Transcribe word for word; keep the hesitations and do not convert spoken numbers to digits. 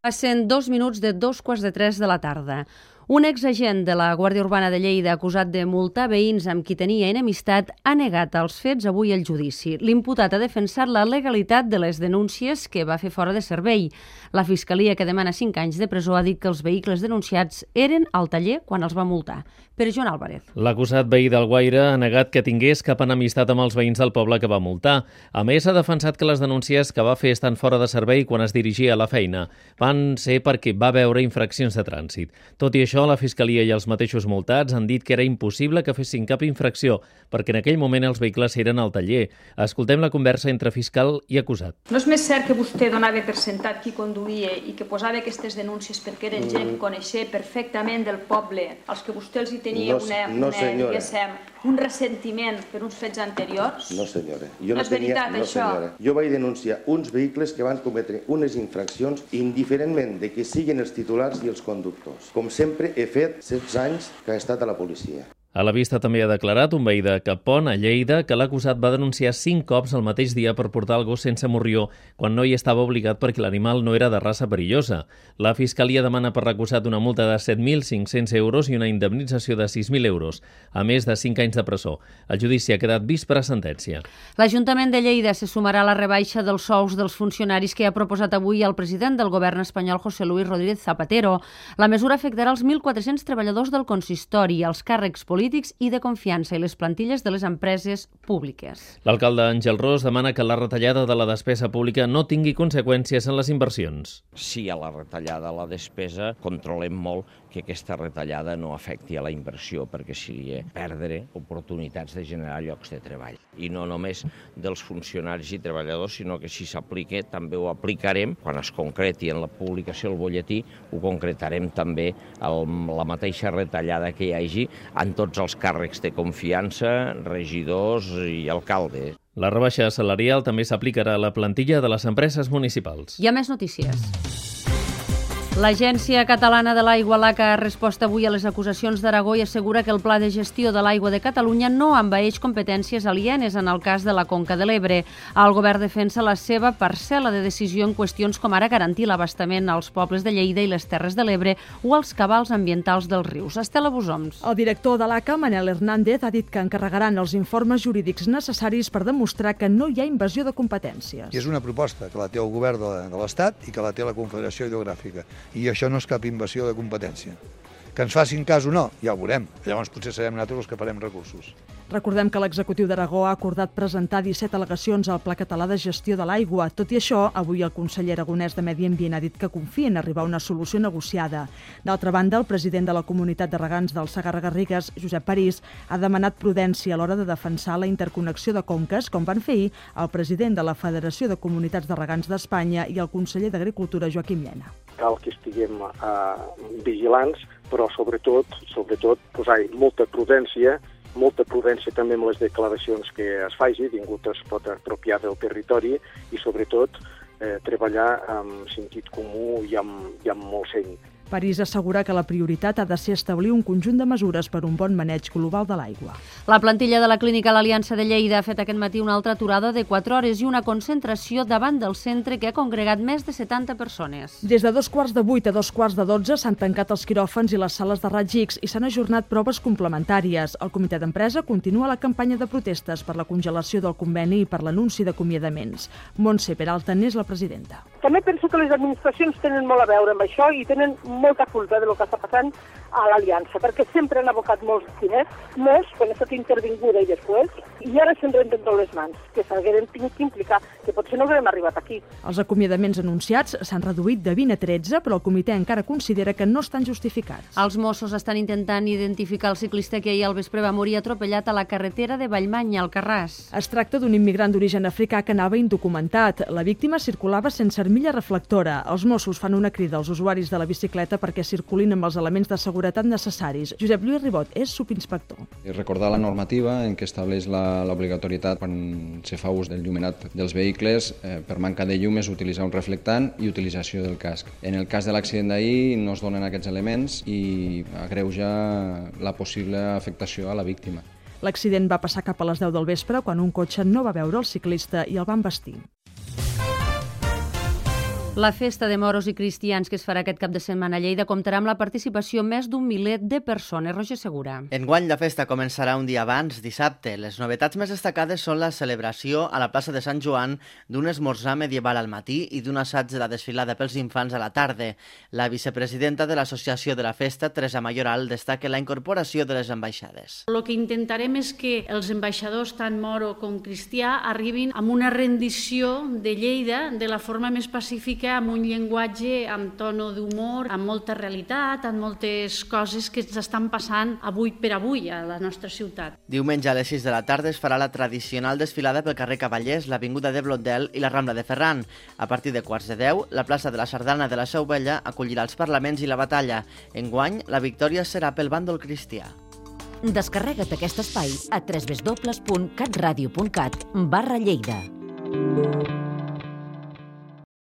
Passen dos minuts de dos quarts de tres de la tarda. Un exagent de la Guàrdia Urbana de Lleida acusat de multar veïns amb qui tenia enemistat ha negat els fets avui al judici. L'imputat ha defensat la legalitat de les denúncies que va fer fora de servei. La Fiscalia, que demana cinc anys de presó, ha dit que els vehicles denunciats eren al taller quan els va multar. Pere Joan Álvarez. L'acusat veí d'Alguaire ha negat que tingués cap enemistat amb els veïns del poble que va multar. A més, ha defensat que les denúncies que va fer estan fora de servei quan es dirigia a la feina. Van ser perquè va veure infraccions de trànsit. Tot i això, la Fiscalia i els mateixos multats han dit que era impossible que fessin cap infracció, perquè en aquell moment els vehicles eren al taller. Escoltem la conversa entre fiscal i acusat. No és més cert que vostè donava per sentat qui conduïa i que posava aquestes denúncies perquè eren gent que coneixia perfectament del poble, als que vostè els hi tenia no, una, no, una, diguéssim, un ressentiment per uns fets anteriors? No, senyora. Jo no, no és veritat, tenia, no, això? Senyora. Jo vaig denunciar uns vehicles que van cometre unes infraccions indiferentment de que siguin els titulars i els conductors. Com sempre he fet setze anys que he estat a la policia. A la vista també ha declarat un veí de Capon, a Lleida, que l'acusat va denunciar cinc cops el mateix dia per portar el gos sense morrió quan no hi estava obligat perquè l'animal no era de raça perillosa. La Fiscalia demana per l'acusat una multa de set mil cinc-cents euros i una indemnització de sis mil euros, a més de cinc anys de presó. El judici ha quedat vist per a sentència. L'Ajuntament de Lleida se sumarà a la rebaixa dels sous dels funcionaris que ha proposat avui el president del govern espanyol, José Luis Rodríguez Zapatero. La mesura afectarà els mil quatre-cents treballadors del consistori, els càrrecs polítics i de confiança i les plantilles de les empreses públiques. L'alcalde Àngel Ros demana que la retallada de la despesa pública no tingui conseqüències en les inversions. Si hi ha la retallada a la despesa, controlem molt que aquesta retallada no afecti a la inversió, perquè seria perdre oportunitats de generar llocs de treball. I no només dels funcionaris i treballadors, sinó que si s'aplica també ho aplicarem, quan es concreti en la publicació del butlletí, ho concretarem també amb la mateixa retallada que hi hagi en tots els càrrecs de confiança, regidors i alcaldes. La rebaixa salarial també s'aplicarà a la plantilla de les empreses municipals. Hi ha més notícies. L'Agència Catalana de l'Aigua, l'A C A, ha respost avui a les acusacions d'Aragó i assegura que el Pla de Gestió de l'Aigua de Catalunya no envaeix competències alienes en el cas de la Conca de l'Ebre. El govern defensa la seva parcel·la de decisió en qüestions com ara garantir l'abastament als pobles de Lleida i les Terres de l'Ebre o als cabals ambientals dels rius. Estela Busoms. El director de l'A C A, Manel Hernández, ha dit que encarregaran els informes jurídics necessaris per demostrar que no hi ha invasió de competències. I és una proposta que la té el govern de l'Estat i que la té la Confederació Hidrogràfica. I això no és cap invasió de competència. Que ens facin cas o no, ja ho veurem. Llavors potser serem nosaltres els que farem recursos. Recordem que l'executiu d'Aragó ha acordat presentar disset al·legacions al Pla Català de Gestió de l'Aigua. Tot i això, avui el conseller aragonès de Medi Ambient ha dit que confia en arribar a una solució negociada. D'altra banda, el president de la Comunitat de Regants del Segarra-Garrigues, Josep París, ha demanat prudència a l'hora de defensar la interconnexió de conques, com van fer ahir el president de la Federació de Comunitats de Regants d'Espanya i el conseller d'Agricultura, Joaquim Llena. Cal que estiguem eh, vigilants, però sobretot, sobretot posar molta prudència, molta prudència també amb les declaracions que es faci, ningú es pot apropiar del territori i sobretot eh, treballar amb sentit comú i amb, i amb molt seny. París assegura que la prioritat ha de ser establir un conjunt de mesures per un bon maneig global de l'aigua. La plantilla de la Clínica L'Aliança de Lleida ha fet aquest matí una altra aturada de quatre hores i una concentració davant del centre que ha congregat més de setanta persones. Des de dos quarts de vuit a dos quarts de dotze s'han tancat els quiròfans i les sales de raig X i s'han ajornat proves complementàries. El comitè d'empresa continua la campanya de protestes per la congelació del conveni i per l'anunci d'acomiadaments. Montse Peralta n'és la presidenta. També penso que les administracions tenen molt a veure amb això i tenen molta culpa del que està passant a l'Aliança, perquè sempre han abocat molts diners, molts, quan ha estat intervinguda i després, i ara se'n renten tot les mans, que s'hagueren tingut que implicar, que potser no haguem arribat aquí. Els acomiadaments anunciats s'han reduït de vint a tretze, però el comitè encara considera que no estan justificats. Els Mossos estan intentant identificar el ciclista que ahir al vespre va morir atropellat a la carretera de Vallmanya, al Carràs. Es tracta d'un immigrant d'origen africà que anava indocumentat. La víctima circulava sense armilla reflectora. Els Mossos fan una crida als usuaris de la bicicleta perquè circulin amb els elements de seguretat necessaris. Josep Lluís Ribot és subinspector. Recordar la normativa en què estableix l'obligatorietat quan se fa ús del llumenat dels vehicles, eh, per manca de llum és utilitzar un reflectant i utilització del casc. En el cas de l'accident d'ahir no es donen aquests elements i agreuja la possible afectació a la víctima. L'accident va passar cap a les deu del vespre quan un cotxe no va veure el ciclista i el van vestir. La festa de moros i cristians que es farà aquest cap de setmana a Lleida comptarà amb la participació més d'un miler de persones. Roger Segura. Enguany la festa començarà un dia abans, dissabte. Les novetats més destacades són la celebració a la plaça de Sant Joan d'un esmorzar medieval al matí i d'un assaig de la desfilada pels infants a la tarda. La vicepresidenta de l'Associació de la Festa, Teresa Mayoral, destaca la incorporació de les ambaixades. El que intentarem és que els ambaixadors, tant moro com cristià, arribin amb una rendició de Lleida de la forma més pacífica, amb un llenguatge amb tono d'humor, amb molta realitat, amb moltes coses que ens estan passant avui per avui a la nostra ciutat. Diumenge a les sis de la tarda es farà la tradicional desfilada pel carrer Cavallers, l'Avinguda de Blondel i la Rambla de Ferran. A partir de quarts de deu, la plaça de la Sardana de la Seu Vella acollirà els parlaments i la batalla. Enguany, la victòria serà pel bàndol cristià. Descarrega't aquest espai a w w w punt catradio punt cat barra Lleida.